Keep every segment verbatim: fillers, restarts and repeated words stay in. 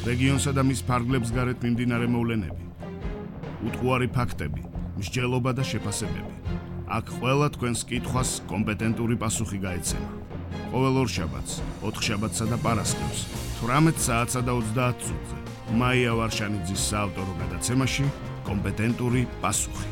რეგიონსა და მის ფარგლებს გარეთ მიმდინარე მოვლენები, უტყუარი ფაქტები, მსჯელობა და შეფასებები. აქ ყველა თქვენს კითხვას კომპეტენტური პასუხი გაეცემა. ყოველ ორშაბათს, ოთხშაბათსა და პარასკევს, თვრამეტ საათსა და ოცდაათ წუთზე, მაია ვარშანიძის საავტორო გადაცემაში კომპეტენტური პასუხი.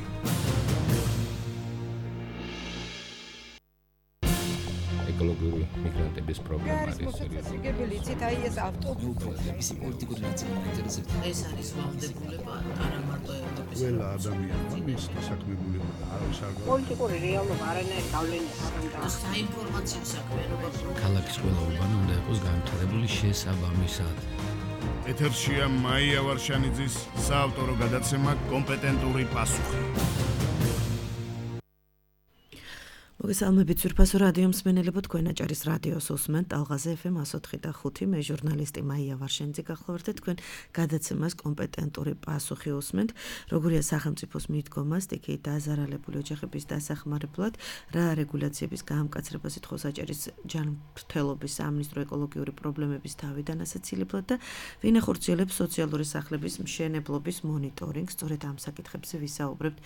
ეკოლოგიური მიგრანტების პრობლემა არის მოსაცილებელი იცით აი ეს ავტობუსების პოლიტიკური ნაწილი ინტერესებს ეს არის ვალდებულება არა მარტო ევროპის ყველა ადამიანმა მის დასაქმებულება და არავის არ გავა პოლიტიკური რეალობა არანაირ გავლენას არ უნდა საინფორმაციო საქმიანობა ქალაქის ყველა უბანი უნდა იყოს განვითარებული შესაბამისად. ეთერშია მაია ვარშანიძის საავტორო გადაცემა კომპეტენტური პასუხი. მოგესალმებით ძვირფასო რადიო მსმენელებო, თქვენ აჭარის რადიოს უსმენთ ალღაზე ეფ ემ εκατო ოთხი და ხუთი, მე ჟურნალისტი მაია ვარშანიძე გახლავართ თქვენ გადაცემას კომპეტენტური პასუხი უსმენთ. როგორია სახელმწიფოს მიდგომა სტიქიით დაზარალებული ოჯახების დასახმარებლად, რა რეგულაციების გაამკაცრებას ითხოვს აჭარის ჯანმრთელობის სამინისტრო ეკოლოგიური პრობლემების თავიდან ასაცილებლად და ვინ ახორციელებს სოციალური სახლების მშენებლობის მონიტორინგს. სწორედ ამ საკითხებზე ვისაუბრებთ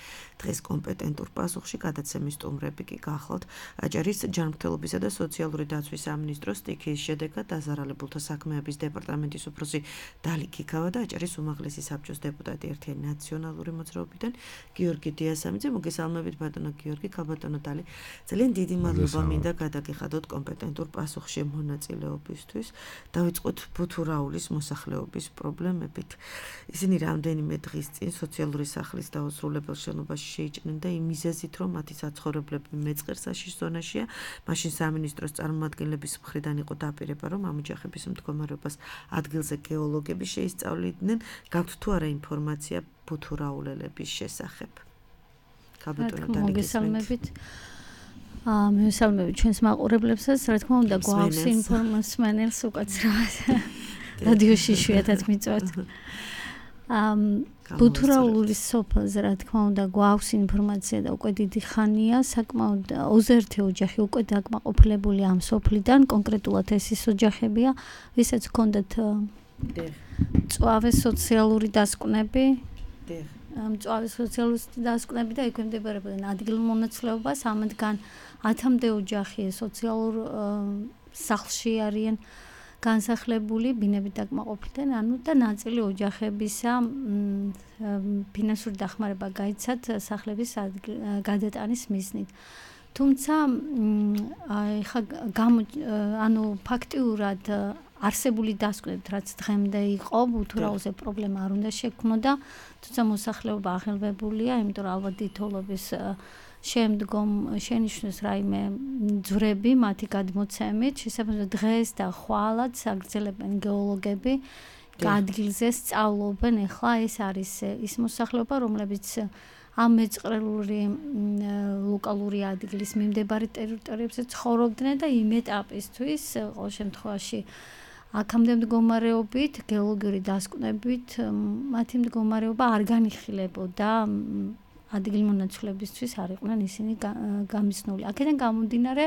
დღეს კომპეტენტურ პასუხში. გადაცემის სტუმრები კი ახლავთ აჭარის ჯანმრთელობისა და სოციალური დაცვის სამინისტროს სტიქიის შედეგად დაზარალებულთა საქმეების დეპარტამენტის უფროსი დალი ქიქავა და აჭარის უმაღლესი საბჭოს დეპუტატი ერთიანი ნაციონალური მოძრაობიდან გიორგი დიასამიძე. მოგესალმებით ბატონო გიორგი, ქალბატონო დალი. ძალიან დიდი მადლობა მინდა გადაგიხადოთ კომპეტენტურ პასუხში მონაწილეობისთვის. დავიწყოთ ბუთურაულის მოსახლეობის პრობლემებით. ისინი რამდენიმე დღის წინ სოციალური სახლის დაუსრულებელ შენობაში შეიჭრნენ და იმ მიზეზით, რომ მათი საცხოვრებლები მეწყერ საშიშ ზონაშია, მაშინ სამინისტროს წარმომადგენლების მხრიდან იყო დაპირება, რომ ამ ოჯახების მდგომარეობას ადგილზე გეოლოგები შეისწავლიდნენ. გაქვთ თუ არა ინფორმაცია ბუთურაულელების შესახებ? ქალბატონო დალი, მოგესალმებით. აა მოგესალმებით ჩვენს მაყურებლებსაც, რა თქმა უნდა, გვაქვს ინფორმაციას უკაცრავად. რადიოში იშვიათად მიწვევთ. ამ ბუთურაულის სოფელზე, რა თქმა უნდა, გვაქვს ინფორმაცია და უკვე დიდი ხანია, საკმაოდ ოცდაერთი ოჯახი უკვე დაკმაყოფილებული ამ სოფლიდან, კონკრეტულად ეს ის ოჯახებია, ვისაც ჰქონდათ მწვავე სოციალური დასკვნები, მწვავე სოციალური დასკვნები და ექვემდებარებოდნენ ადგილმონაცვლეობას, ამათგან ათამდე ოჯახი სოციალურ სახლში არიან განსახლებული, ბინებით დაკმაყოფილდნენ, ანუ და ნაწილი ოჯახებისა ფინანსური დახმარება გაიცათ სახლების გადატანის მიზნით. თუმცა ეხა ანუ ფაქტიურად არსებული დასკვნებით, რაც დღემდე იყო, ბუთურაულზე პრობლემა არ უნდა შექმნოდა, თუმცა მოსახლეობა აღელვებულია, იმიტომ რომ ალბათ დიდთოვლობის შემდგომ შენიშნოს რაიმე ძვრები მათი გადმოცემით, შესაბამისად დღეს და ხვალად აგრძელებენ გეოლოგები, ადგილზე სწავლობენ. ეხლა ეს არის ის მოსახლეობა, რომლებიც ამ მეწყრელური ლოკალური ადგილის მიმდებარე ტერიტორიებზე ცხოვრობდნენ და იმ ეტაპისთვის ყოველ შემთხვევაში აქამდე მდგომარეობით, გეოლოგიური დასკვნებით მათი მდგომარეობა არ განიხილებოდა. ადგილმონაცვლებისთვის არ იყვნენ ისინი გამიზნული. აქედან გამომდინარე,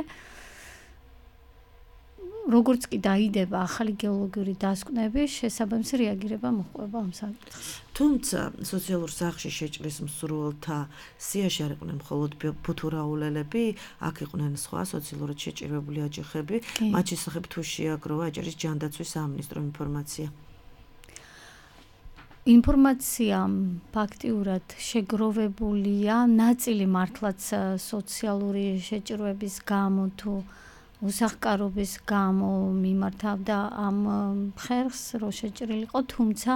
როგორც კი დაიდება ახალი გეოლოგიური დასკვნები, შესაბამისი რეაგირება მოჰყვება ამ საკითხს. თუმცა სოციალურ სახლში შეჭრის მსურველთა სიაში არ იყვნენ მხოლოდ ბუთურაულელები, აქ იყვნენ სხვა სოციალურად შეჭირვებული ოჯახები, მათ შესახებ თუ შეაგროვა აჭარის ჯანდაცვის სამინისტრო ინფორმაცია? ინფორმაცია ფაქტიურად შეგროვებულია, ნაწილი მართლაც სოციალური შეჭირვების გამო თუ უსახკარობის გამო მიმართავდა ამ ხერხს, რომ შეჭრილიყო, თუმცა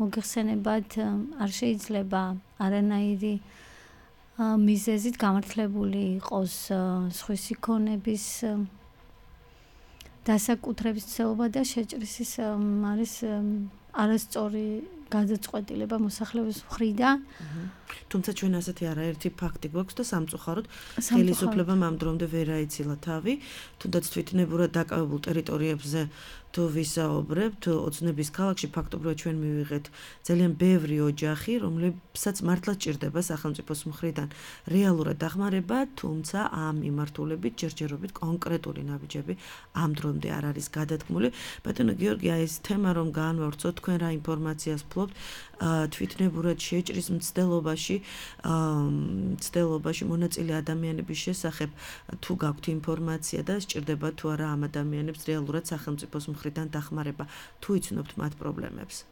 მოგეხსენებათ არ შეიძლება არანაირი მიზეზით გამართლებული იყოს სხვისი ქონების დასაკუთრების ცდილობა და შეჭრისის არის არასწორი გადაწყვეტილება მოსახლეობის მხრიდან. თუმცა ჩვენ ასეთი არაერთი ფაქტი გვაქვს და სამწუხაროდ ხელისუფლებამ ამ დრომდე ვერ აიცილა თავი, თუნდაც თვითნებურად დაკავებულ ტერიტორიებზე თუ ვისაუბრებთ, ოცნების ქალაქში ფაქტობრივად ჩვენ მივიღეთ ძალიან ბევრი ოჯახი, რომლებსაც მართლა ჭირდება სახელმწიფოს მხრიდან რეალურად დახმარება, თუმცა ამ მიმართულებით ჯერჯერობით კონკრეტული ნაბიჯები ამ დრომდე არ არის გადადგმული. ბატონო გიორგი, აი ეს თემა რომ განვავრცოთ, თქვენ რა ინფორმაციას ფლობთ თვითნებურად შეჭრის მცდელობაში, მცდელობაში მონაწილე ადამიანების შესახებ, თუ გაქვთ ინფორმაცია და სჭირდება თუ არა ამ ადამიანებს რეალურად სახელმწიფოს მხრიდან დახმარება, თუ იცნობთ მათ პრობლემებს?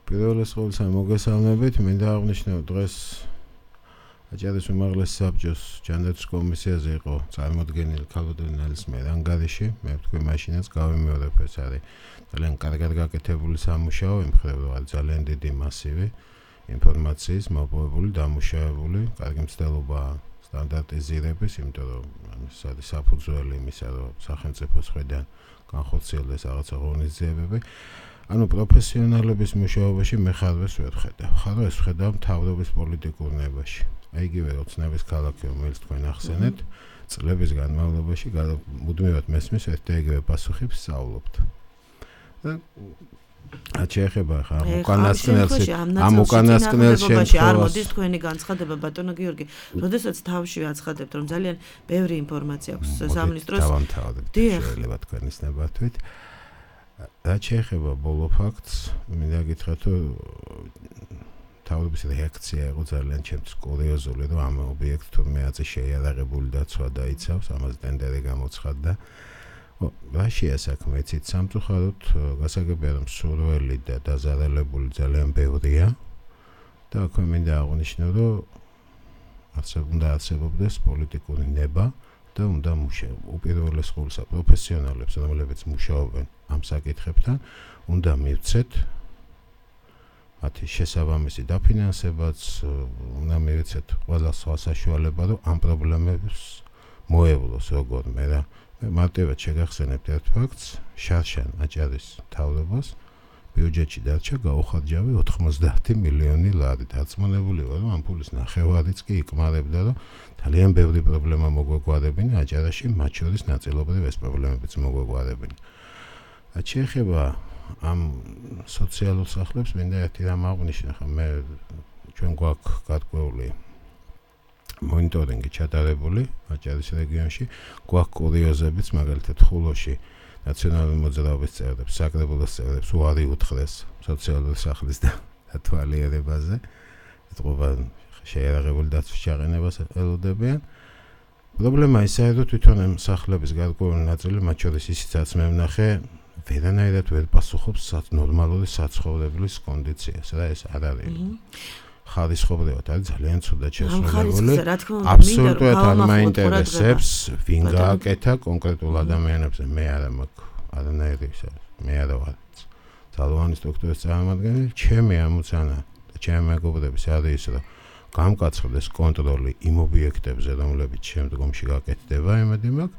პირველეს ყოვლისა მოგესალმებით, მინდა აღვნიშნო დღეს აჭარის უმაღლესი საბჭოს ჯანდაცვის კომისიაზე იყო წარმოდგენილი ქალბატონი ნალისმიერ ანგარიში, მე ვთქვი მაშინაც გავიმეორებ, ეს არის ძალიან კარგად გაკეთებული სამუშაო, იმ მხრივ არის ძალიან დიდი მასივი ინფორმაციის მოპოვებული, დამუშავებული, კარგი მცდელობა სტანდარტიზირების, იმიტომ რომ ეს არის საფუძველი იმისა, რომ სახელმწიფოს მხრიდან განხორციელდეს რაღაცა ღონისძიებები. ანუ პროფესიონალების მუშაობაში მე ხარვეს ვერ ვხედავ. ხარვეს ვხედავ მთავრობის პოლიტიკურ ნებაში. აი იგივე ოცნების ქალაქი, რომელიც თქვენ ახსენეთ, წლების განმავლობაში მუდმივად მესმის ერთ და იგივე პასუხებს სწავლობთ. და რაც შეეხება ხა ამ უკანასკნელში, ამ უკანასკნელ შემთხვევაში არ მოდის თქვენი განცხადება, ბატონო გიორგი, როდესაც თავში აცხადებთ, რომ ძალიან ბევრი ინფორმაცია აქვს სამინისტროს. დიახ, შეიძლება თქვენის ნებართვით. რაც შეეხება ბოლო ფაქტს, მინდა გითხრათ, რომ თავის რეაქცია იყო ძალიან ჩემთვის კურიოზული, რომ ამ ობიექტს თურმე აწი შეიარაღებული დაცვა დაიცავს, ამას ტენდერი გამოცხადდა. რა შეასაქმე იცით, სამწუხაროდ გასაგებია, რომ სურველი და დაზარალებული ძალიან ბევრია და აქვე მინდა აღვნიშნო, რომ უნდა არსებობდეს პოლიტიკური ნება და უნდა მუშაობდეს უპირველეს ყოვლისა პროფესიონალებს, რომლებიც მუშაობენ ამ საკითხებთან, უნდა მივცეთ მათი შესაბამისი დაფინანსებაც, უნდა მივცეთ ყველა სხვა საშუალება, რომ ამ პრობლემებს მოევლოს როგორმე რა. მარტივად შეგახსენებთ ერთ ფაქტს, შარშან აჭარის მთავრობას ბიუჯეტში დარჩა გაუხარჯავი ოთხმოცდაათი მილიონი ლარი. დარწმუნებული ვარ, რომ ამ ფულის ნახევარიც კი იკმარებდა, რომ ძალიან ბევრი პრობლემა მოგვეგვარებინა აჭარაში, მათ შორის ნაწილობრივ ეს პრობლემებიც მოგვეგვარებინა. რაც შეეხება ამ სოციალურ სახლებს, მინდა ერთი რამ აღვნიშნო, ხა მე ჩვენ გვაქვს გარკვეული მონიტორინგი ჩატარებული აჭარის რეგიონში, გვაქვს კურიოზებიც, მაგალითად ხულოში ნაციონალური მოძრაობის წევრებს, საკრებულოს წევრებს უარი უთხრეს სოციალური სახლის დათვალიერებაზე, ეთყობა შეიარაღებული დაცვის ჩაყენებას ელოდებიან. პრობლემა ისაა, რომ თვითონ ამ სახლების გარკვეული ნაწილი, მათ შორის ისიც მე ვნახე, ვერანაირად ვერ პასუხობს ნორმალური საცხოვრებლის კონდიციას, რა ეს არ არის. ხარისხობრივად არის ძალიან ცუდად შესრულებული. აბსოლუტურად არ მაინტერესებს, ვინ გააკეთა კონკრეტულ ადამიანებზე. მე არა მაქვს არანაირი ისე, მე არა ვარ ძალოვანი სტრუქტურის წარმომადგენელი. ჩემი ამოცანა და ჩემი მეგობრების არის ის, რომ გამკაცრდეს კონტროლი იმ ობიექტებზე, რომლებიც შემდგომში გაკეთდება, იმედი მაქვს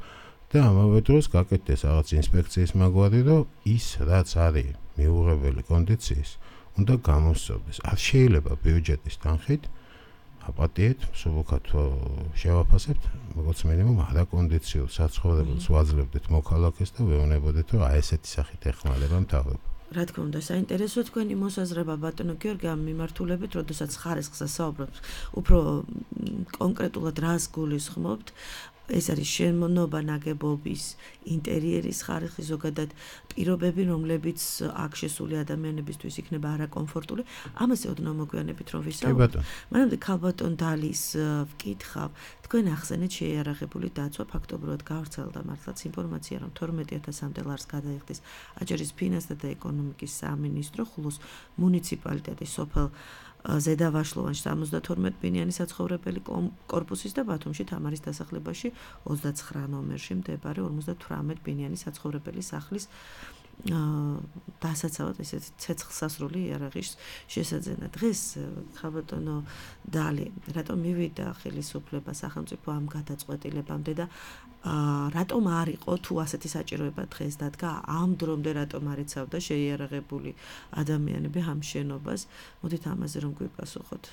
და ამავე დროს გაკეთდეს რაღაც ინსპექციის მაგვარი, რომ ის რაც არის მიუღებელი კონდიციის უნდა გამოსწორდეს. არ შეიძლება ბიუჯეტის თანხით აპატიეთ, სულუქად შევაფასებთ, როგორც მინიმუმ არაკონდიციურ საცხოვრებელს ვაძლევდეთ მოქალაქეს და ვეუბნებოდეთ, რომ აი ესეთი სახით ეხმარება მთავრობა. რა თქმა უნდა, საინტერესო თქვენი მოსაზრება, ბატონო გიორგი, ამ მიმართულებით, როდესაც ხარისხზე საუბრობთ, უფრო კონკრეტულად რას გულისხმობთ? ეს არის შემონობა ნაგებობის, ინტერიერის ხარისხი, ზოგადად პირობები, რომლებიც აქ შესული ადამიანებისთვის იქნება არაკომფორტული. ამაზე ოდნავ მოგვიანებით რომ ვისაუბროთ. მანამდე ქალბატონ დალის ვკითხავ, თქვენ ახსენეთ შეიარაღებული დაცვა, ფაქტობრივად გავრცელდა მართლაც ინფორმაცია, რომ თორმეტი ათასამდე ლარს გადაიხდის აჭარის ფინანსთა და ეკონომიკის სამინისტრო, ხულოს მუნიციპალიტეტის სოფელ ზედავაშლოვანში სამოცდათორმეტ ბინიანი საცხოვრებელი კორპუსის და ბათუმში თამარის დასახლებაში ოცდაცხრა ნომერში მდებარე ორმოცდათვრამეტ ბინიანი საცხოვრებელი სახლის დასაცავად ესეთი ცეცხლსასროლი იარაღის შესაძენა. დღეს ქალბატონო დალი რატომ მივიდა ხელისუფლება სახელმწიფო ამ გადაწყვეტილებამდე და რატომ არ იყო თუ ასეთი საჭიროება დღეს დადგა ამ დრომდე რატომ არ იცავდა შეიარაღებული ადამიანები ამ შენობას? მოდით ამაზე რომ გვიპასუხოთ.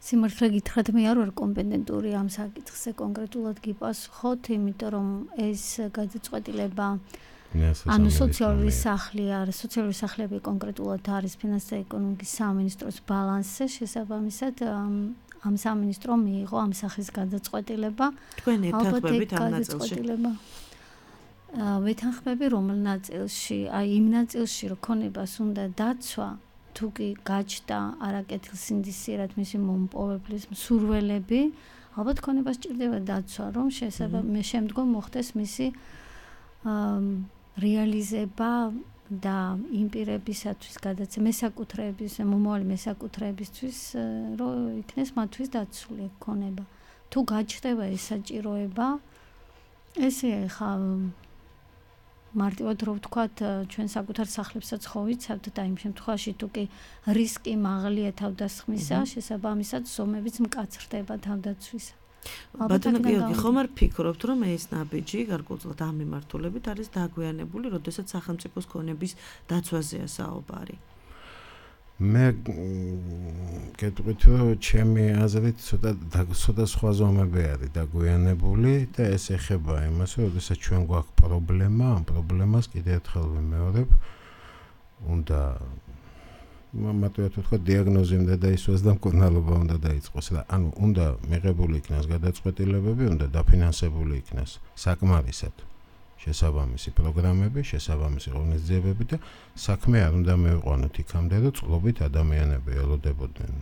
სიმართლე გითხრათ მე არ ვარ კომპეტენტური ამ საკითხზე კონკრეტულად გიპასუხოთ, იმიტომ რომ ეს გადაწყვეტილება ანუ სოციალური სახლი არის, სოციალური სახლები კონკრეტულად არის ფინანსთა და ეკონომიკის სამინისტროს ბალანსზე, შესაბამისად ამ სამინისტრომ მიიღო ამ სახის გადაწყვეტილება. თქვენ ეთანხმებით ამ ნაწილში? ვეთანხმები რომელ ნაწილში? აი იმ ნაწილში, რომ ქონებას უნდა დაცვა, თუ კი გაჩნდა არაკეთილსინდისიერად მისი მომპოვებლის მსურველები, ალბათ ქონებას ჭირდება დაცვა, რომ შესაბამისად შემდგომ მოხდეს მისი რეალიზება და იმ პირებისათვის გადაცემა მესაკუთრეების, მომავალი მესაკუთრეებისთვის, რომ იქნეს მათთვის დაცული ქონება. თუ გაჩნდება ეს საჭიროება, ესე ხა მარტივად რო ვთქვათ, ჩვენ საკუთარ სახლებსაც ხო ვიცავთ და იმ შემთხვევაში თუ კი რისკი მაღალია თავდასხმისა, შესაბამისად ზომებიც მკაცრდება თავდაცვისა. ბატონო გიორგი, ხომ არ ფიქრობთ, რომ ეს ნაბიჯი გარკვეულწილად ამ მიმართულებით არის დაგვიანებული, როდესაც სახელმწიფოს ქონების დაცვაზეა საუბარი? მე გეტყვით, რომ ჩემი აზრით ცოტა ცოტა სხვა ზომები არის დაგვიანებული და ეს ეხება იმას, რომ როდესაც ჩვენ გვაქვს პრობლემა, ამ პრობლემას კიდევ ერთხელ ვიმეორებ, უნდა მარტივად ვთქვა, დიაგნოზი უნდა დაისვას და მკურნალობა უნდა დაიწყოს და ანუ უნდა მიღებული იქნას გადაწყვეტილებები, უნდა დაფინანსებული იქნას საკმარისად შესაბამისი პროგრამები, შესაბამისი ღონისძიებები და საქმე არ უნდა მივიყვანოთ იქამდე, რომ წყლობით ადამიანები ელოდებოდნენ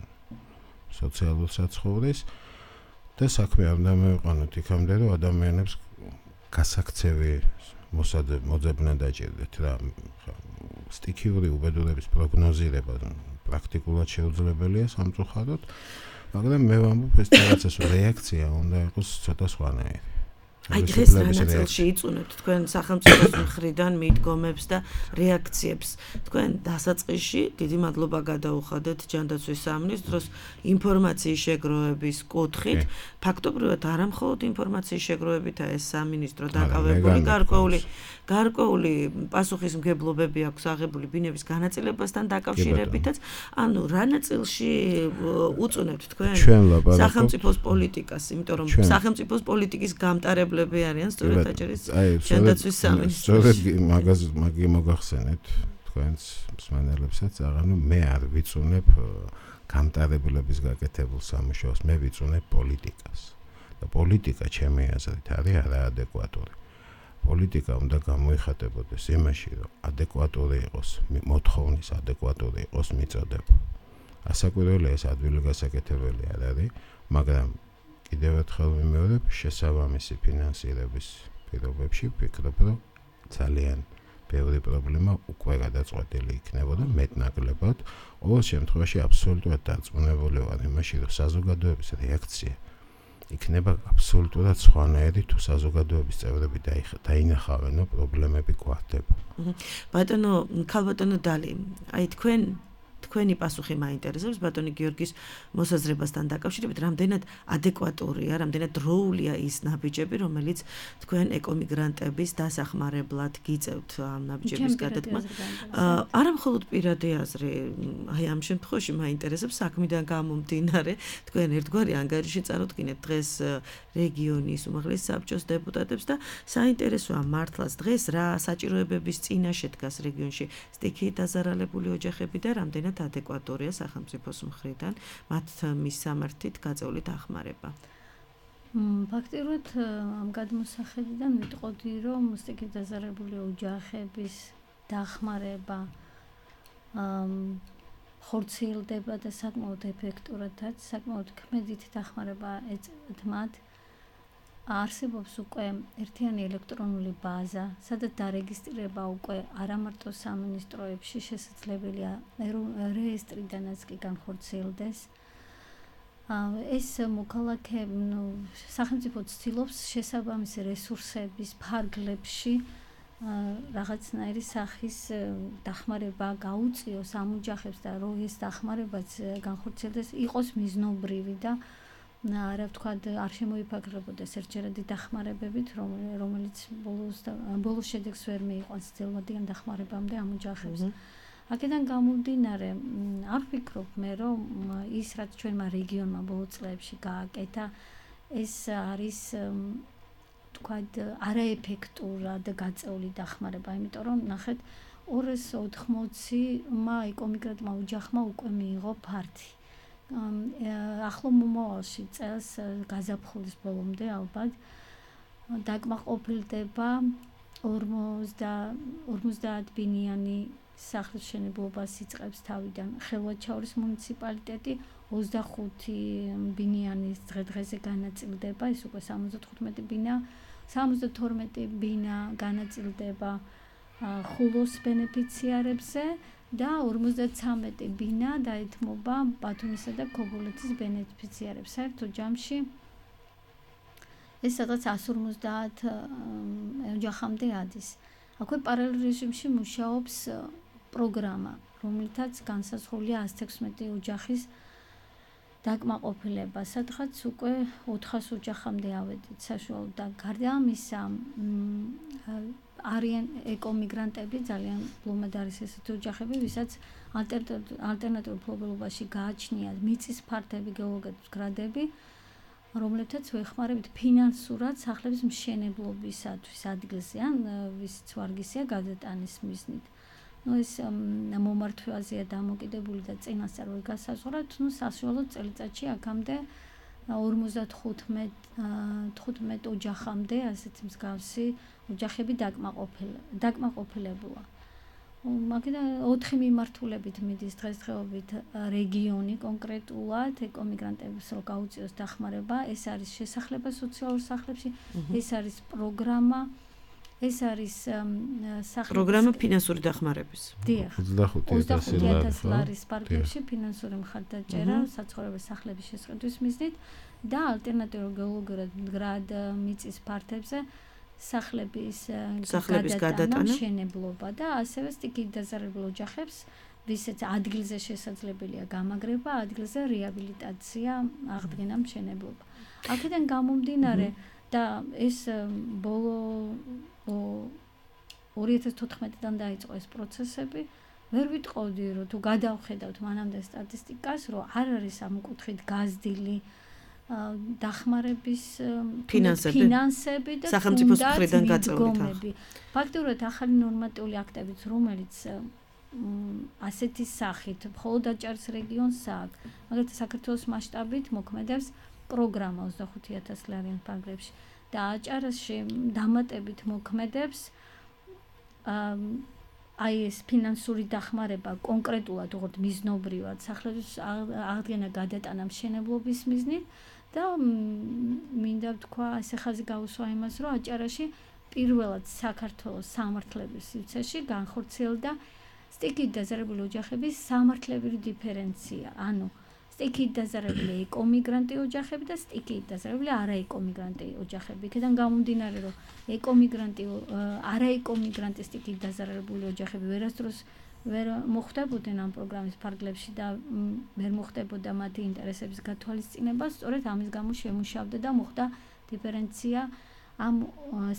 სოციალურ საცხოვრეს და საქმე არ უნდა მივიყვანოთ იქამდე, რომ ადამიანებს გასაქცევი მოძებნა დაჭირდეთ რა სტიქიური უბედურების პროგნოზირება პრაქტიკულად შეუძლებელია სამწუხაროდ, მაგრამ მე ვამბობ ეს რაღაცას რეაქცია უნდა იყოს ცოტა სხვანაირი. აი დღეს რა ნაწილში იწუნებთ თქვენ სახელმწიფოს მხრიდან მიდგომებს და რეაქციებს. თქვენ დასაწყისში დიდი მადლობა გადაუხადეთ ჯანდაცვის სამინისტროს ინფორმაციის შეგროვების კუთხით. ფაქტობრივად არა მხოლოდ ინფორმაციის შეგროვებითაა ეს სამინისტრო დაკავებული, გარკვეული გარკვეული პასუხისმგებლობები აქვს აღებული ბინების განაწილებასთან დაკავშირებითაც. ანუ რა ნაწილში უწუნებთ თქვენ სახელმწიფოს პოლიტიკას, იმიტომ რომ სახელმწიფოს პოლიტიკის გამტარებლები არიან სწორედ აჭარის ჯანდაცვის სამინისტროში. სწორედ მაგას მაგი მოგახსენეთ თქვენს მსმენელებსაც, აღანუ მე არ ვიწუნებ გამტარებლების გაკეთებულ სამუშაოს, მე ვიწუნებ პოლიტიკას. და პოლიტიკა ჩემი აზრით არის არაადეკვატური. პოლიტიკა უნდა გამოიხატებოდეს იმაში, რომ ადეკვატური იყოს, მოთხოვნის ადეკვატური იყოს მიწოდება. ასაკვირველია ეს ადვილი გასაკეთებელი არ არის, მაგრამ კიდევ ერთხელ ვიმეორებ, შესაბამისი ფინანსირების პირობებში ვფიქრობ, რომ ძალიან ბევრი პრობლემა უკვე გადაწყვეტილი იქნებოდა მეტნაკლებად. ყოველ შემთხვევაში აბსოლუტურად დარწმუნებული ვარ იმაში, რომ საზოგადოების რეაქცია იქნება აბსოლუტურად სხვანაირი თუ საზოგადოების წევრები დაინახავენო პრობლემები გვარდება. ბატონო, ქალბატონო დალი, აი თქვენ თქვენი პასუხი მაინტერესებს ბატონი გიორგის მოსაზრებასთან დაკავშირებით, რამდენად ადეკვატურია, რამდენად დროულია ის ნაბიჯები, რომელიც თქვენ ეკომიგრანტების დასახმარებლად გიწევთ ამ ნაბიჯების გადადგმა. არა მხოლოდ პირადი აზრი, აი ამ შემთხვევაში მაინტერესებს საქმიდან გამომდინარე, თქვენ ერთგვარი ანგარიში წარუდგინეთ დღეს რეგიონის უმაღლეს საბჭოს დეპუტატებს და საინტერესოა მართლაც დღეს რა საჭიროებების წინაშე დგას რეგიონში სტიქიით დაზარალებული ოჯახები და რამდენად ადეკვატურია სახელმწიფოს მხრიდან მათ მისამართით გაწეული დახმარება. ფაქტიურად ამ გადმოსახედიდან ვიტყოდი, რომ სტიქიით დაზარალებული ოჯახების დახმარება ხორციელდება და საკმაოდ ეფექტურადაც, საკმაოდ ქმედით დახმარება ეწევათ მათ. არსებობს უკვე ერთიანი ელექტრონული ბაზა, სადაც დარეგისტრირება უკვე არა მარტო სამინისტროებში შესაძლებელია რეესტრიდანაც კი განხორციელდეს. ეს მოქალაქეები, ნუ სახელმწიფო ცდილობს შესაბამისი რესურსების ფარგლებში რაღაცნაირი სახის დახმარება გაუწიოს ამ ოჯახებს და რომ ეს დახმარებაც განხორციელდეს, იყოს მიზნობრივი და არა ვთქვათ არ შემოიფაგრებოდეს ერთჯერადი დახმარებებით, რომელიც ბოლოს ბოლოს შედეგს ვერ მიიყვანს ძელვადიან დახმარებამდე ამ ოჯახებს. აქედან გამომდინარე, არ ვფიქრობ მე, რომ ის რაც ჩვენმა რეგიონმა ბოლო წლებში გააკეთა, ეს არის თქვათ არაეფექტურად გაწეული დახმარება, იმიტომ რომ ნახეთ ორასი ოთხმოცი-მა ეკომიგრანტმა ოჯახმა უკვე მიიღო ფართი. ახლო მომავალში წელს გაზაფხულის ბოლომდე ალბათ დაკმაყოფილდება ორმოცდაათ ბინიანი სახლის მშენებლობას იწყებს თავიდან ხელვაჩაურის მუნიციპალიტეტი ოცდახუთი ბინიანის დღე-დღეზე განაწილდება, ეს უკვე სამოცდათხუთმეტი ბინა, სამოცდათორმეტი ბინა განაწილდება ხულოს ბენეფიციარებზე და ორმოცდაცამეტი ბინა დაეთმობა ბათუმისა და ქობულეთის ბენეფიციარებს. საერთო ჯამში ეს სადღაც εκατს ორმოცდაათ ოჯახამდე ადის. აქვე პარალელ რეჟიმში მუშაობს პროგრამა, რომლითაც განსაზღვრულია ათს თექვსმეტი ოჯახის დაკმაყოფილება, სადღაც უკვე ოთხას ოჯახამდე ავედით საშუალოდ და გარდა ამისა არიან ეკომიგრანტები, ძალიან ბლომად არის ესეთი ოჯახები, ვისაც ალტერნატიულ მფლობელობაში გააჩნიათ მიწის ფართები, გეოლოგიების გრადები, რომლებთაც ვეხმარებით ფინანსურად სახლების მშენებლობისათვის ადგილზე, ან ვისიც ვარგისია გადატანის მიზნით. ნუ ეს მომართვაზეა დამოკიდებული და წინასწარ ვერ გასაზღვრათ, ნუ საშუალოდ წელიწადში აქამდე ორმოცდათხუთმეტ ოჯახამდე ასეთი მსგავსი ოჯახები დაკმაყოფილებულა. მაგიდან ოთხი მიმართულებით მიდის დღესდღეობით რეგიონი კონკრეტულად ეკომიგრანტებს რო გაუწიოს დახმარება, ეს არის შესახლება სოციალურ სახლებში, ეს არის პროგრამა, ეს არის სახლების პროგრამა ფინანსური დახმარების. დიახ. ოცდახუთი ათასი ლარის პარკებში ფინანსური მხარდაჭერა საცხოვრებელ სახლების შესყიდვის მიზნით და ალტერნატიულ გეოლოგიურად მდგრად მიწის ფართებზე სახლების გადატანა, მშენებლობა და ასევე სტიქიით დაზარალებულ ოჯახებს, ვისაც ადგილზე შესაძლებელია გამაგრება, ადგილზე რეაბილიტაცია, აღდგენა, მშენებლობა. აქედან გამომდინარე და ეს ბოლო ორი ათას თოთხმეტიდან დაიწყო ეს პროცესები, ვერ ვიტყოდი, რომ თუ გადავხედავთ მანამდე სტატისტიკას, რომ არ არის ამ კუთხით გაზრდილი დახმარების ფინანსები და სახელმწიფოს მხრიდან გაწეული. ფაქტობრივად ახალი ნორმატიული აქტებიც, რომელიც ასეთი სახით მხოლოდ აჭარის რეგიონს აქვს, მაგალითად საქართველოს მასშტაბით მოქმედებს პროგრამა ოცდახუთი ათასი ლარიან პარკებში და აჭარაში დამატებით მოქმედებს აი ეს ფინანსური დახმარება კონკრეტულად როგორც მიზნობრივად სახლების აღდგენა, გადატანა, მშენებლობის მიზნით და მინდა ვთქვა, ასე ხაზი გავუსვა იმას, რომ აჭარაში პირველად საქართველოს სამართლების სივრცეში განხორციელდა სტიქიით დაზარალებული ოჯახების სამართლებრივი დიფერენცია, ანუ სტიქიით დაზარალებული ეკომიგრანტი ოჯახები და სტიქიით დაზარალებული არაეკომიგრანტი ოჯახები. იქიდან გამომდინარე, რომ ეკომიგრანტი, არაეკომიგრანტი სტიქიით დაზარალებული ოჯახები ვერასდროს ვერ მოხვდებოდნენ ამ პროგრამის ფარგლებში და ვერ მოხდებოდა მათი ინტერესების გათვალისწინება, სწორედ ამის გამო შემუშავდა და მოხდა დიფერენცია ამ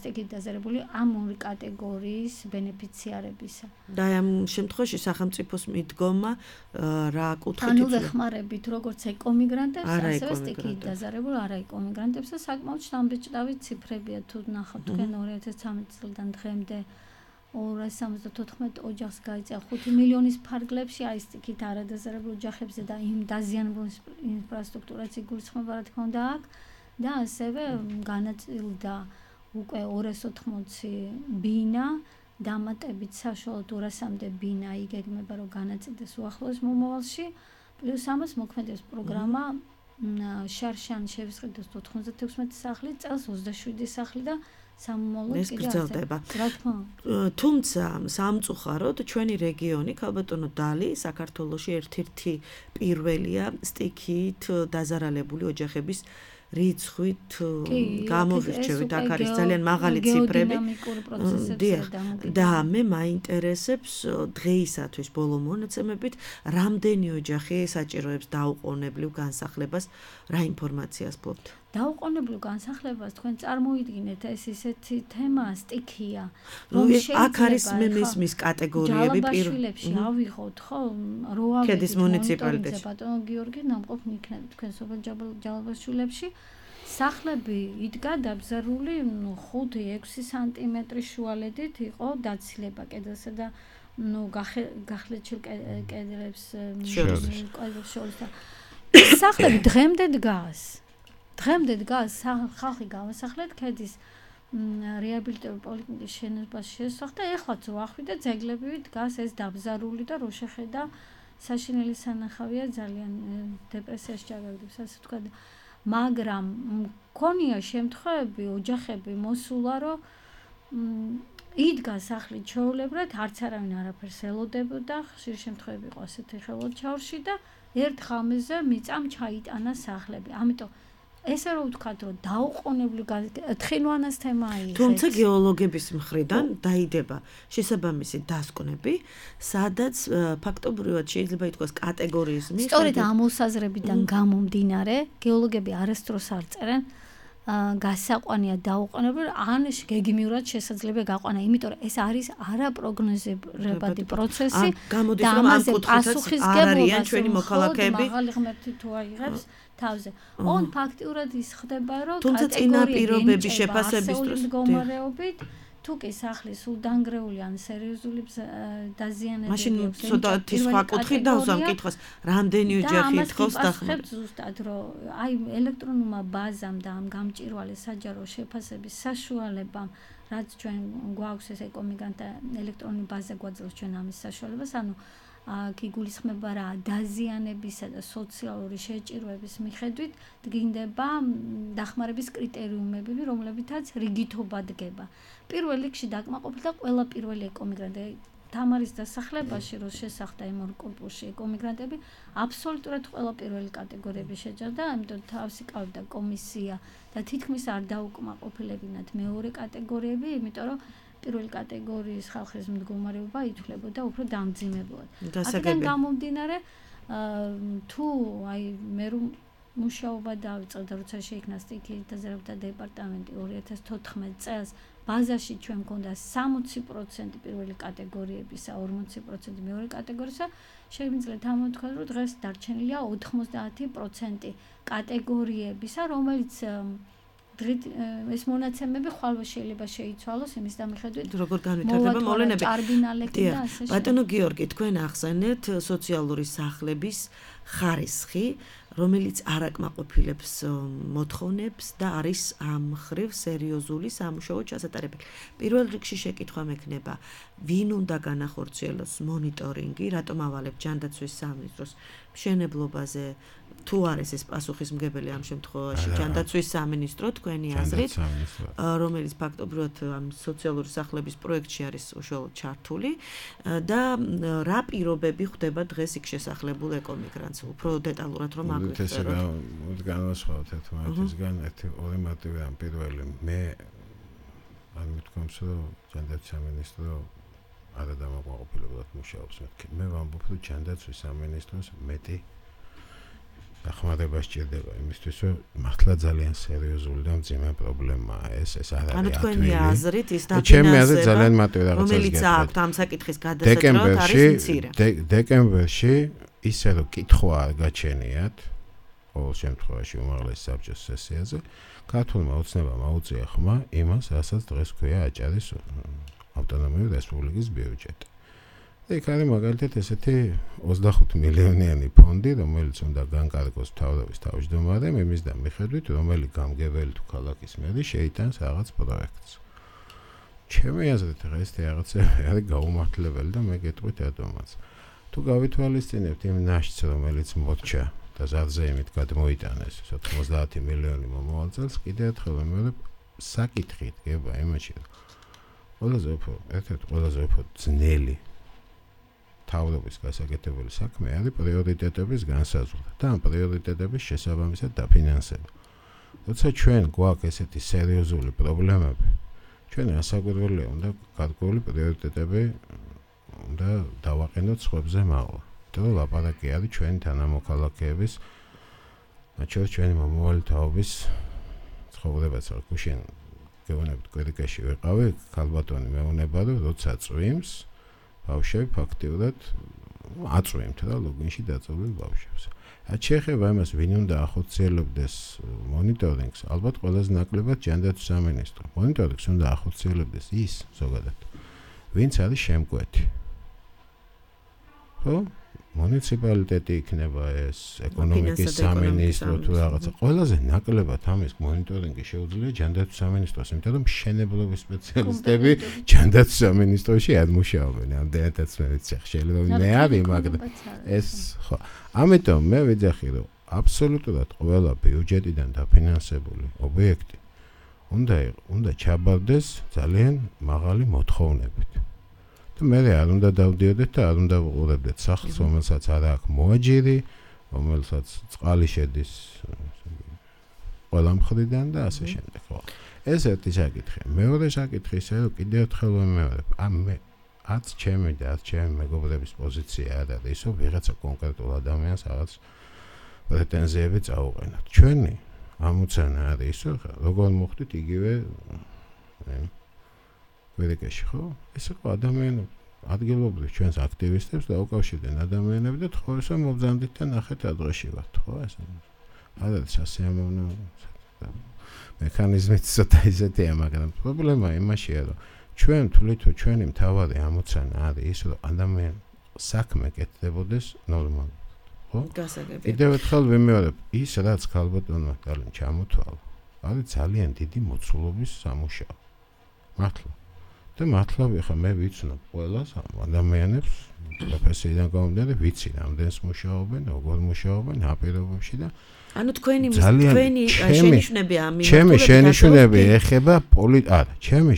სტიქიით დაზარალებული ამ ორი კატეგორიის ბენეფიციარებისა. და ამ შემთხვევაში სახელმწიფოს მიდგომა რა კუთხით ანუ ვეხმარებით როგორც ეკომიგრანტებს, ასევე სტიქიით დაზარალებულ არაეკომიგრანტებს და საკმაოდ შთამბეჭდავი ციფრებია, თუ ნახავთ თქვენ ორი ათას ცხრამეტი წლიდან დღემდე ორასი სამოცდათოთხმეტ ოჯახს გაიწია ხუთი მილიონის ფარგლებში, აი სტიქიით არადაზარალებულ ოჯახებზე და იმ დაზიანებულ ინფრასტრუქტურას იგულისხმება, რა თქმა უნდა, აქ და ასევე განაწილდა უკვე ორასი ოთხმოცი ბინა, დამატებით საშუალოდ ორასამდე ბინა იგეგმება, რომ განაწილდეს უახლოეს მომავალში, პლუს ამას მოქმედებს პროგრამა შარშან შევისყიდოს ოთხმოცდათექვსმეტი სახლი, წელს ოცდაშვიდი სახლი და სამომავლოდ კიდევ გრძელდება. რა თქმა უნდა. თუმცა სამწუხაროდ ჩვენი რეგიონი, ქალბატონო დალი, საქართველოში ერთ-ერთი პირველია სტიქიით დაზარალებული ოჯახების რიცხვით გამოვირჩევით, აქ არის ძალიან მაღალი ციფრები. და მე მაინტერესებს დღეისათვის ბოლო მონაცემებით, რამდენი ოჯახი საჭიროებს დაუყოვნებლივ განსახლებას, რა ინფორმაციას ფლობთ? დაუყოვნებლივ განსახლებას თქვენ წარმოიდგინეთ ეს ისეთი თემა სტიქია რომ აქ არის მე მისმის კატეგორიები პირველში ავიღოთ ხო რო ქედის მუნიციპალიტეტში ბატონო გიორგი ნამყოფ იქნება თქვენ სოფელ ჯალაბაშვილებში სახლები იდგა დაბზარული ხუთი ექვსი სანტიმეტრის შუალედით იყო დაცილება კედელსა და ნუ გახლეჩილ კედლებს შორის და სახლები დღემდე დგას დღემდე დგას ხალხი გავასახლეთ ქედის რეაბილიტირებული პოლიკლინიკის შენობას შესახ და ეხლაც ვახვი და ძეგლები დგას ეს დაბზარული და რო შეხედა საშინელი სანახავია ძალიან დეპრესიაში ჩაგაგდებს ასე ვთქვა მაგრამ მქონია შემთხვევები ოჯახები მოსულა რომ იდგა სახლი ჩვეულებრივად არც არავინ არაფერს ელოდებოდა ხშირ შემთხვევები იყო ასეთი ხელოჩაურში და ერთ ღამეზე მიწამ ჩაიტანა სახლები ამიტომ ესე რომ ვთქვათ რომ დაუყოვნებლივ თხილვანას თემაა იღებს თუმცა გეოლოგების მხრიდან დაიდება შესაბამისი დასკვნები სადაც ფაქტობრივად შეიძლება ითქვას კატეგორიის მიხედვით სწორედ ამ მოსაზრებიდან გამომდინარე გეოლოგები არასდროს არ წერენ გასაყვანია დაუყოვნებლივ ან გეგმიურად შესაძლებელი გაყვანა იმიტომ რომ ეს არის არაპროგნოზირებადი პროცესი და ამაზე პასუხისგებლობა ჩვენი მოქალაქეები მაღალი ღმერთი თუ აიღებს თავზე. On ფაქტიურად ის ხდება, რომ თუმცა წინაპირობების შეფასების დროს მდგომარეობით თუ კი სახლი სულ დანგრეული ან სერიოზული დაზიანებები მაშინ ცოტათი სხვა კუთხით დავსვამ კითხოს, რამდენი ოჯახი ითხოვს დახმარებას. ზუსტად რომ აი ელექტრონულმა ბაზამ და ამ გამჭვირვალე საჯარო შეფასების საშუალებამ რაც ჩვენ გვაქვს ეს ეკომიგრანტ ელექტრონული ბაზა გვაძლევს ჩვენ ამის საშუალებას, ანუ გიგულისხმება რა დაზიანებისა და სოციალური შეჭირვების მიხედვით დგინდება დახმარების კრიტერიუმები, რომლებითაც რიგითობა დგება. პირველ რიგში დაკმაყოფილდა ყველა პირველი ეკომიგრანტი. თამარის დასახლებაში რო შესახდა იმ ორ კორპუსში ეკომიგრანტები, აბსოლუტურად ყველა პირველი კატეგორიები შეჭერდა, ამიტომ თავისი ყავდა კომისია და თითქმის არ დაუკმაყოფილებინათ მეორე კატეგორიები, იმიტომ რომ პირველი კატეგორიის ხალხის მდგომარეობა ითვლებოდა უფრო დამძიმებლად. აქედან გამომდინარე, თუ აი მე რომ მუშაობა დავიწყე, როცა შეიქმნა სტიქიის დაზიანებათა დეპარტამენტი ორი ათას თოთხმეტ წელს, ბაზაში ჩვენ მქონდა სამოცი პროცენტი პირველი კატეგორიებისა, ორმოცი პროცენტი მეორე კატეგორიისა, შეგვიძლია ამოვთქვათ, რომ დღეს დარჩენილია ოთხმოცდაათი პროცენტი კატეგორიებისა, რომელიც ეს მონაცემები ხვალვა შეიძლება შეიცვალოს იმის დამიხედვით როგორ განვითარდება მოვლენები. ჭარბინალები და ასე. ბატონო გიორგი, თქვენ ახსენეთ სოციალური სახლების ხარისხი, რომელიც არ აკმაყოფილებს მოთხოვნებს და არის ამ ხრივ სერიოზული სამუშაო ჩასატარებელი. პირველ რიგში შეკითხვა მექნება, ვინ უნდა განახორციელოს მონიტორინგი, რატომ ავალებ ჯანდაცვის სამინისტროს მშენებლობაზე თუ არის ეს პასუხისმგებელი ამ შემთხვევაში ჯანდაცვის სამინისტრო თქვენი აზრით, რომელიც ფაქტობრივად ამ სოციალური სახლების პროექტში არის უშუალოდ ჩართული და რა პირობები ხდება დღეს იქ შესახლებულ ეკომიგრანტს, უფრო დეტალურად რომ აგვიწეროთ. ეს განვასხვაოთ ერთმანეთისგან ერთი ორი მოტივი ამ პირველი მე არ მithქვამს რომ ჯანდაცვის სამინისტრო არ დამაკმაყოფილებულად მუშაობს მეთქი. მე ვამბობ რომ ჯანდაცვის სამინისტროს მეტი დახმარება სჭირდება იმისთვის, რომ მართლა ძალიან სერიოზული და მძიმე პრობლემაა ეს, ეს არ არის ათვილი. ანუ თქვენი აზრით ის დაფინანსება, რომელიც აქვთ ამ საკითხის გადასაჭრელად არის მცირე. დეკემბერში ისე რომ კითხვა არ გაჩენიათ, ყოველ შემთხვევაში უმაღლეს საბჭოს სესიაზე, ქართულმა ოცნებამ აუწია ხმა იმას, რასაც დღეს ქვია აჭარის ავტონომიური რესპუბლიკის ბიუჯეტი. იქ არის მაგალითად ესეთი ოცდახუთი მილიონიანი ფონდი, რომელიც უნდა განკარგოს მთავრობის თავმჯდომარემ იმის და მიხედვით, რომელი გამგებელი თუ ქალაქის მერი შეიტანს რაღაც პროექტს. ჩემი აზრით ეს რაღაცები არის გაუმართლებელი და მე გეტყვით რატომაც. თუ გავითვალისწინებთ იმ ნაშთს, რომელიც მორჩა და ზარზე იმით გადმოიტანეს ოცდაათი მილიონი მომავალ წელს, კიდევ ერთხელ ვიმეორებ, საკითხი დგება იმაში, რომ ყველაზე უფრო, ერთ-ერთი ყველაზე უფრო ძნელი თავრობის გასაკეთებელი საქმე არის პრიორიტეტების განსაზღვრა და ამ პრიორიტეტების შესაბამისად დაფინანსება. როცა ჩვენ გვაქვს ესეთი სერიოზული პრობლემები, ჩვენ ასაგვირველია უნდა გარკვეული პრიორიტეტები უნდა დავაყენოთ სხვებზე მაღლა. თუ ლაპარაკი არის ჩვენი თანამოქალაქეების, მათ შორის ჩვენი მომავალი თაობის ცხოვრებას რა გუშინ გეუბნებით კვედიკაში ვიყავი, ქალბატონი მეუნება რომ როცა წვიმს, ბავშვები ფაქტიურად აწვიმთ და ლოგინში დაწოლილ ბავშვებს. რაც შეეხება იმას, ვინ უნდა ახორციელებდეს მონიტორინგს, ალბათ ყველაზე ნაკლებად ჯანდაცვის სამინისტრო. მონიტორინგს უნდა ახორციელებდეს ის ზოგადად, ვინც არის შემკვეთი. ხო? მუნიციპალიტეტი იქნება ეს, ეკონომიკის სამინისტრო თუ რაღაცა. ყველაზე ნაკლებად ამის მონიტორინგი შეუძლია ჯანდაცვის სამინისტროს, იმიტომ რომ მშენებლობის სპეციალისტები ჯანდაცვის სამინისტროში არ მუშაობენ. ამდენადაც მე ვიცი, შეიძლება მე არის, მაგრამ ეს ხო. ამიტომ მე ვიძახი, რომ აბსოლუტურად ყველა ბიუჯეტიდან დაფინანსებული ობიექტი უნდა უნდა ჩაბარდეს ძალიან მაღალი მოთხოვნებით. მე არ უნდა დავდიოდეთ და არ უნდა ვუყურებდეთ სახლს, რომელსაც არ აქვს მოაჯირი, რომელსაც წყალი შედის ყველა მხრიდან და ასე შემდეგ. ხო. ეს ერთი საკითხი. მეორე საკითხი ისე რომ კიდევ ერთხელ ვიმეორებ, ამ მე არც ჩემი და არც ჩემი მეგობრების პოზიცია არ არის ისო ვიღაცა კონკრეტულ ადამიანს რაღაც პრეტენზიები წაუყენოთ. ჩვენი ამოცანა არის ისო, როგორ მოხდით იგივე ვერეკაში ხო? ეს იყო ადამიანი ადგილობრივ ჩვენს აქტივისტებს და უკავშირდნენ ადამიანები და თხოვეს რომ მობრძანდით და ნახეთ რა დღეში ვართ, ხო? ეს არ არის სასიამოვნო მექანიზმით ცოტა ისეთია, მაგრამ პრობლემა იმაშია, რომ ჩვენ თვლით, რომ ჩვენი მთავარი ამოცანა არის ის, რომ ადამიანი საქმე კეთდებოდეს ნორმალურად, ხო? გასაგებია. კიდევ ერთხელ ვიმეორებ, ის რაც ქალბატონმა ძალიან ჩამოთვალა, არის ძალიან დიდი მოცულობის სამუშაო. მართლა. და მართლა ხა მე ვიცნობ ყველას ადამიანებს პროფესიიდან გამომდინარე ვიცი რამდენს მუშაობენ, როგორ მუშაობენ აპირობებში და ანუ თქვენი თქვენი შენიშვნები ამი ჩემი შენიშვნები ეხება პოლი არა ჩემი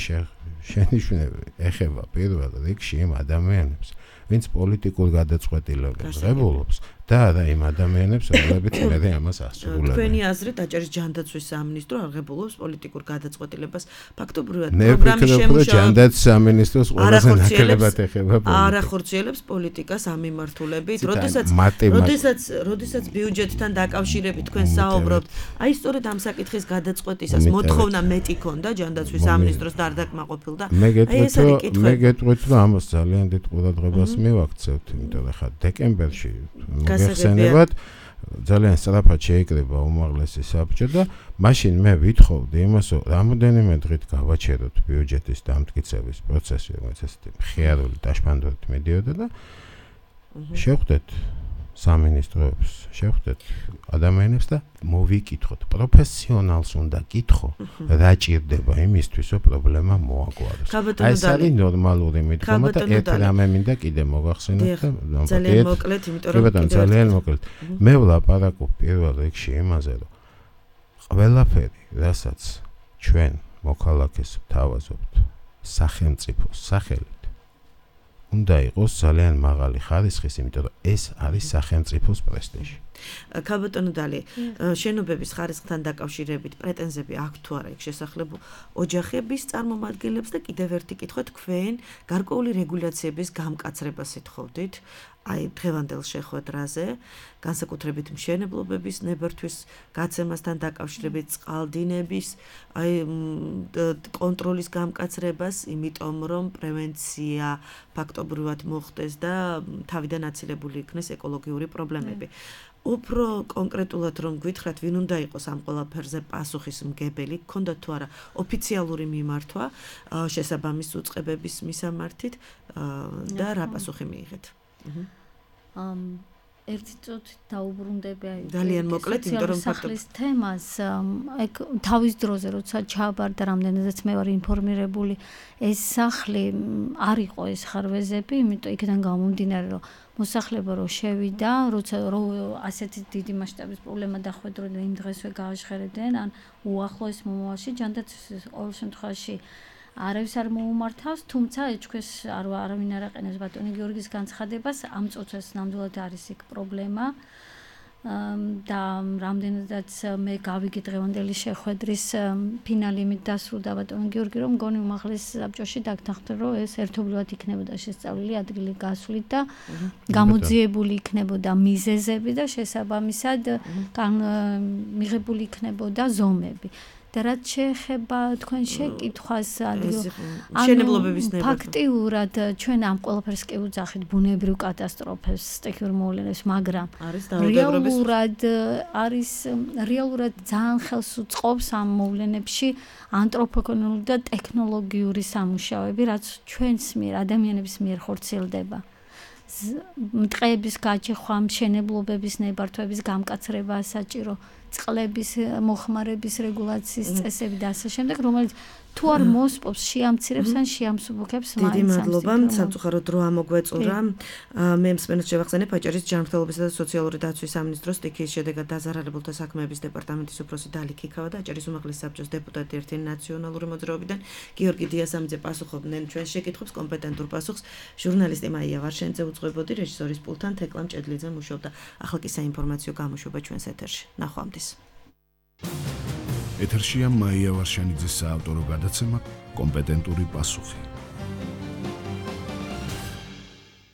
შენიშვნები ეხება პირველ რიგში იმ ადამიანებს ვინც პოლიტიკურ გადაწყვეტილებებს ღებულობს და არა იმ ადამიანებს რომლებიც მე ამას ასრულებენ. თქვენი აზრით აჭარის ჯანდაცვის სამინისტრო არ ღებულობს პოლიტიკურ გადაწყვეტილებას ფაქტობრივად პროგრამის შემუშავება ჯანდაცვის სამინისტროს ყველაზე ნაკლებად ეხება პოლიტიკა. არ ახორციელებს პოლიტიკას ამ მიმართულებით, როდესაც როდესაც როდესაც ბიუჯეტთან დაკავშირებით თქვენ საუბრობთ, აი სწორედ ამ საკითხის გადაწყვეტისას მოთხოვნა მეტი ქონდა ჯანდაცვის სამინისტროს და არ დაკმაყოფილდა. აი ეს არის კითხვები. მე გეტყვით რომ ამას ძალიან დიდ ყურადღებას მივაქცევთ, იმიტომ რომ ხა დეკემბერში გახსენებათ ძალიან სწრაფად შეიკრება უმაღლესი საბჭო და მაშინ მე ვითხოვდი იმას, რომ რამოდენიმე დღით გავაჩეროთ ბიუჯეტის დამტკიცების პროცესი, რომელიც ესეთი მხიარული დაშფანდობით მიდიოდა და შევხვდეთ სამინისტროებს, შევხვდეთ ადამიანებს და მოვიკითხოთ. პროფესიონალს უნდა კითხო, რა ჭირდება იმისთვის, რომ პრობლემა მოაგვაროს. აი ეს არის ნორმალური მიდგომა და ერთ რამე მინდა კიდე მოგახსენოთ და ძალიან მოკლედ, იმიტომ რომ ძალიან მოკლედ. მე ვლაპარაკობ პირველ რიგში იმაზე, რომ ყველაფერი, რასაც ჩვენ მოქალაქეს ვთავაზობთ სახელმწიფოს სახელით უნდა იყოს ძალიან მაღალი ხარისხის, იმიტომ რომ ეს არის სახელმწიფოს პრესტიჟი. ქალბატონო დალი, შენობების ხარისხთან დაკავშირებით პრეტენზიები აქვს თუ არა იქ შესახლებულ ოჯახების წარმომადგენლებს და კიდევ ერთი კითხვა თქვენ გარკვეული რეგულაციების გამკაცრებას ეთხოვდით აი დღევანდელ შეხვედრაზე, განსაკუთრებით მშენებლობების ნებართვის გაცემასთან დაკავშირებით წყალდინების აი კონტროლის გამკაცრებას, იმიტომ რომ პრევენცია ფაქტობრივად მოხდეს და თავიდან აცილებული იქნეს ეკოლოგიური პრობლემები. უფრო კონკრეტულად რომ გითხრათ, ვინ უნდა იყოს ამ ყველაფერზე პასუხისმგებელი, გქონდა თუ არა ოფიციალური მიმართვა შესაბამის უწყებების მისამართით და რა პასუხი მიიღეთ? ამ ერთი წუთით დაუბრუნდები აი ძალიან მოკლედ, იმიტომ რომ სახლის თემას ეგ თავის დროზე როცა ჩააბარდა რამდენადაც მე ვარ ინფორმირებული ეს სახლი არ იყო ეს ხარვეზები, იმიტომ იქიდან გამომდინარე რომ მოსახლეობა რო შევიდა, როცა რო ასეთი დიდი მასშტაბის პრობლემა დახვედრა და იმ დღესვე გააჟღერებდნენ, ან უახლოეს მომავალში ჯანდაცვის ყოველ შემთხვევაში არავის არ მოუმართავს, თუმცა ეჭქვეს არ არავინ არ აყენებს ბატონი გიორგის განცხადებას, ამ წუთას ნამდვილად არის იქ პრობლემა და რამდენადაც მე გავიგე დღევანდელი შეხვედრის ფინალი იმით დასრულდა ბატონი გიორგი, რომ მგონი უმაღლეს საბჭოში დაგთანხმდა, რომ ეს ერთობლივად იქნებოდა შესწავლილი ადგილი გასვლით და გამოძიებული იქნებოდა მიზეზები და შესაბამისად მიღებული იქნებოდა ზომები. და რაც შეეხება თქვენ შეკითხვას მშენებლობების ნება ფაქტიურად ჩვენ ამ ყველაფერს კი ვუძახით ბუნებრივ კატასტროფებს, სტიქიურ მოვლენებს, მაგრამ რეალურად არის რეალურად ძალიან ხელს უწყობს ამ მოვლენებში ანთროპოგენური და ტექნოლოგიური სამუშაოები, რაც ჩვენს მიერ, ადამიანების მიერ ხორციელდება. მტყეების გაჩეხვა, მშენებლობების ნებართვების გამკაცრება საჭირო, წყლების მოხმარების რეგულაციის წესები და ასე შემდეგ, რომელიც თუ არ მოსპობს, შეამცირებს ან შეამსუბუქებს მაინც. დიდი მადლობა, სამწუხაროდ დრო ამოგვეწურა. მე მსმენელს შევახსენებ აჭარის ჯანმრთელობისა და სოციალური დაცვის სამინისტროს სტიქიის შედეგად დაზარალებულთა საქმეების დეპარტამენტის უფროსი დალი ქიქავა და აჭარის უმაღლესი საბჭოს დეპუტატი ერთი ნაციონალური მოძრაობიდან გიორგი დიასამიძე პასუხობდნენ ჩვენს შეკითხვებს, კომპეტენტურ პასუხს ჟურნალისტი მაია ვარშენიძე უძღვებოდი, რეჟისორის პულტთან თეკლამ ჭედლიძე მუშაობდა. ახლა კი საინფორმაციო გამოშვება ჩვენს ეთერში. ნახვამდის. ეთერშია მაია ვარშენიძის საავტორო გადაცემა კომპეტენტური პასუხი.